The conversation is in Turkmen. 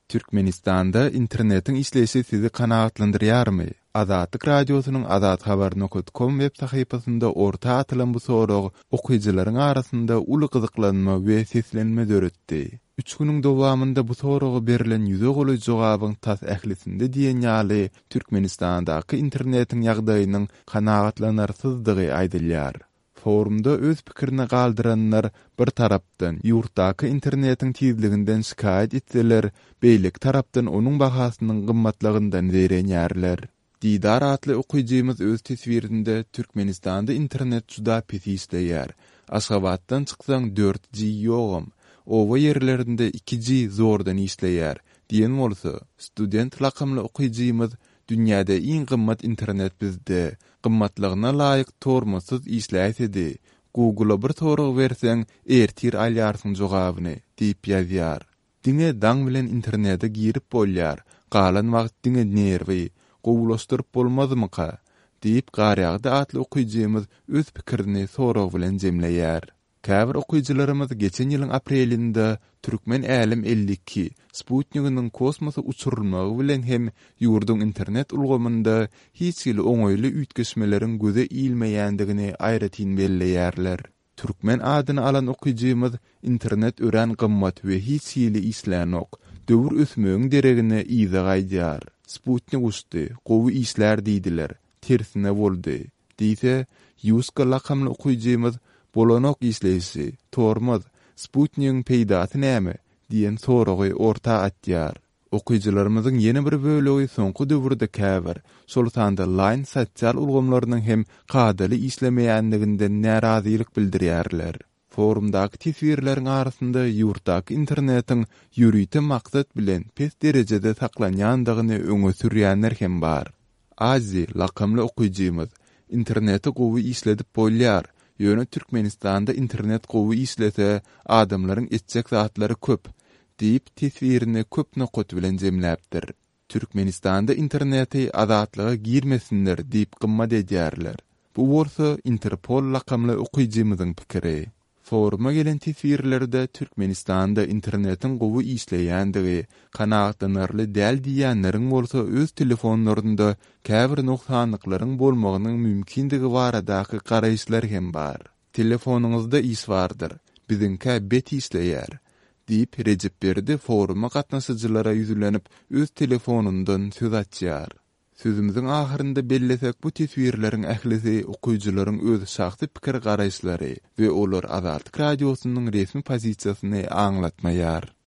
Türkmenistanda internetiň işleýşi sizi kanagatlandyrýarmy? Azatlyk Radiosynyň azathabar nokat kom web sahypasynda orta atylan bu sorag okyjylaryň arasynda uly gyzyklanma we seslenme döretdi. Üç günüň dowamynda bu soraga berlen ýüze golaý jogabyň tas ählisinde diýen ýaly Türkmenistandaky internetiň ýagdaýynyň kanagatlanarsyzdygy aýdylýar. Forumda öz pikirini galdyranlar, bir tarapdan, ýurtdaky internetiň tizliginden şikaýat etseler, beýleki tarapdan onuň bahasynyň gymmatlygyndan zeýrenýärler. Didar atly okyjymyz öz teswirinde Türkmenistanda internet juda pes işleýär. Aşgabatdan çyksaň dört G ýogam. Oba ýerlerinde iki G zordan işleýär diýen bolsa, Student lakamly okyjymyz Dünýäde iň gymmat internet bizde. Gymmatlygyna laýyk tormozsyz işläýsedi. Google-a bir sorag berseň, ertir alýarsyň jogabyny diýip ýazýar. Diňe daň bilen internete girip bolýar, galan wagt diňe nerwi. Gowulaşdyryp bolmazmyka? diýip Garýagdy atly okyjymyz öz pikirini sorag bilen jemleýär. Käbir okyjylarymyz geçen ýylyň aprelinde Türkmen Älem 52 sputniginiň kosmosa uçurylmagy bilen hem ýurduň internet ulgamynda hiç hili oňaýly üýtgeşmeleriň göze ilmeýändigini aýratyn belleýärler. Türkmen adyny alan okyjymyz Internet örän gymmat we hiç hili işlänok. Döwür ösmegiň deregine yza gaýdýar. Sputnik uçdy, gowy işlär diýdiler. Tersine boldy. Diýse, Ýuska lakamly okyjymyz, Bolanok işleýşi, tormoz, sputnigiň peýdasy näme? diýen soragy orta atýar. Okyjylarymyzyň ýene bir bölegi soňky döwürde käbir, şol sanda Line sosial ulgamlarynyň hem kadaly işlemeýänliginden närazylyk bildirýärler. Forumdaky teswirleriň arasynda ýurtdaky internetiň ýörite maksat bilen pes derejede saklanýandygyny öňe sürýänler hem bar. Azi lakamly okyjymyz, Interneti gowy işledip bolýar, ýöne Türkmenistanda internet gowy işlese, adamlaryň etjek zatlary köp diýip, teswirini köp nokat bilen jemläpdir. Türkmenistanda interneti azatlyga girmesinler diýip gymmat edýärler. Bu bolsa Interpol lakamly okyjymyzyň pikiri. Foruma gelen teswirlerde Türkmenistanda internetiň gowy işleýändigi, kanagatlanarly däl diýýänleriň bolsa öz telefonlarynda käbir nogsanlyklaryň bolmagynyň mümkindigi baradaky garaýyşlar hem bar. Telefonyňyzda iş bardyr, biziňkä bet işleýär, diýip, Rejepberdi foruma gatnaşyjylara ýüzlenip, öz telefonyndan söz açýar. Sözümiziň ahyrynda bellesek, bu teswirleriň ählisi okyjylaryň öz şahsy pikir-garaýyşlary we olar Azatlyk Radiosynyň resmi pozisiýasyny aňlatmaýar.